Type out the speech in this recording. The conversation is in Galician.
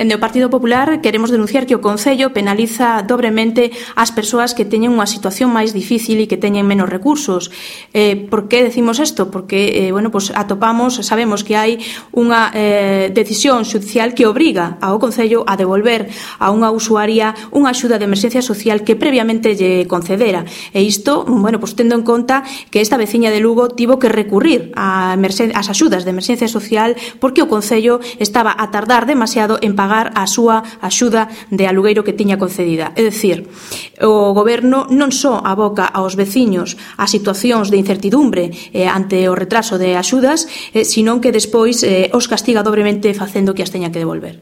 Dende o Partido Popular queremos denunciar que o Concello penaliza dobremente as persoas que teñen unha situación máis difícil e que teñen menos recursos. Por que decimos isto? Porque sabemos que hai unha decisión xudicial que obriga ao Concello a devolver a unha usuaria unha axuda de emerxencia social que previamente lle concedera. E isto, tendo en conta que esta veciña de Lugo tivo que recurrir ás axudas de emerxencia social porque o Concello estaba a tardar demasiado en pagar a súa axuda de alugueiro que tiña concedida. É dicir, o Goberno non só aboca aos veciños a situacións de incertidumbre ante o retraso de axudas, sino que despois os castiga dobremente facendo que as teña que devolver.